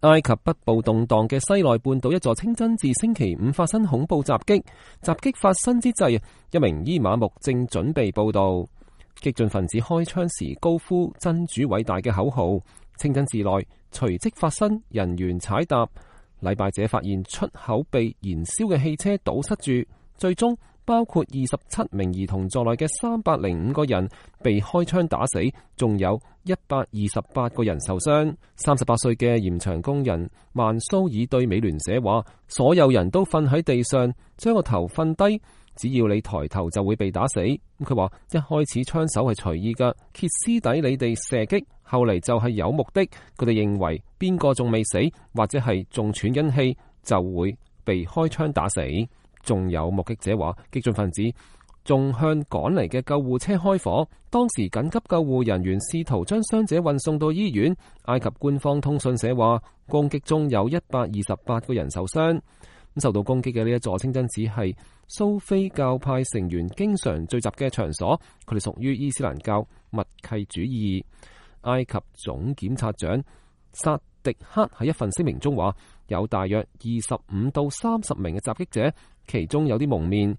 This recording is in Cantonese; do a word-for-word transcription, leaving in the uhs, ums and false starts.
埃及北部動盪嘅西奈半島一座清真寺星期五發生恐怖襲擊，襲擊發生之際，一名伊瑪目正準備報道，激進分子開槍時高呼真主偉大嘅口號，清真寺內隨即發生人員踩踏，禮拜者發現出口被燃燒嘅汽車堵塞住，最終包括二十七名兒童在內嘅三百零五個人被開槍打死，仲有一百二十八個人受傷。三十八歲嘅鹽場工人曼蘇爾對美聯社話：所有人都瞓喺地上，將個頭瞓低，只要你抬頭就會被打死。佢話一開始槍手係隨意㗎，歇斯底里地射擊，後嚟就係有目的。佢哋認為邊個仲未死，或者係仲喘緊氣，就會被開槍打死。仲有目擊者話，激進分子仲向趕嚟嘅救護車開火，當時緊急救護人員試圖將傷者運送到醫院。埃及官方通訊社話，攻擊中有一百二十八個人受傷。受到攻擊嘅呢一座清真寺係蘇菲教派成員經常聚集嘅場所，佢哋屬於伊斯蘭教默契主義。埃及總檢察長薩迪克喺一份聲明中話，有大約二十五到三十名嘅襲擊者，其中有啲蒙面，